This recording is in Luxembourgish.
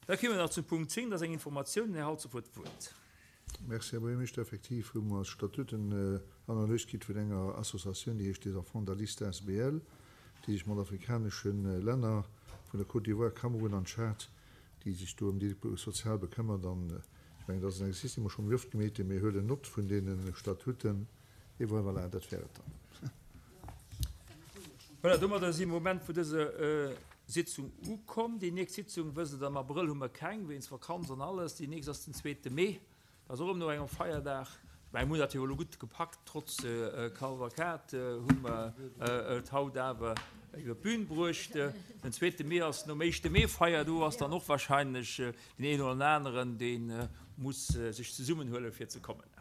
Da kéime mer nach zum Punkt 10, dat ass eng Informatioun. Den Här Halsdorf huet d'Wuert. Merci, Här Buergermeeschter. Effektiv hu mer d'Statuten-Analys kritt vun enger Associatioun, déi heescht Les Enfants d'Aliste asbl, déi sech mat afrikanesche Länner vun der Côte d'Ivoire, Kamerun an Tschad, déi sech do ëm déi sozial bekëmmert. An ech mengen, dat ass en Exercice, dee mer scho méi oft gemeet hunn. Mir huelen Nott vun deene Statuten. Et voilà, dat wär et dann. Voilà, domadder si mer um Enn vun dëser Sitzung ukomm. Déi nächst Sitzung, wësst Der, am Abrëll hu mer keng, wéinst Vakanz an alles. Déi nächst ass den zweete Mee, dat ass och erëm no engem Feierdag. Ech mengen, mir hunn dat jo elo gutt gepackt, trotz Kavalkad hu mer et haut awer iwwer d'Bün bruecht. Den zweete Mee ass nom éischte Mee-Feier, do ass dann och wahrscheinlech deen een oder aneren, dee muss sech zesummenhuelen, fir ze kommen.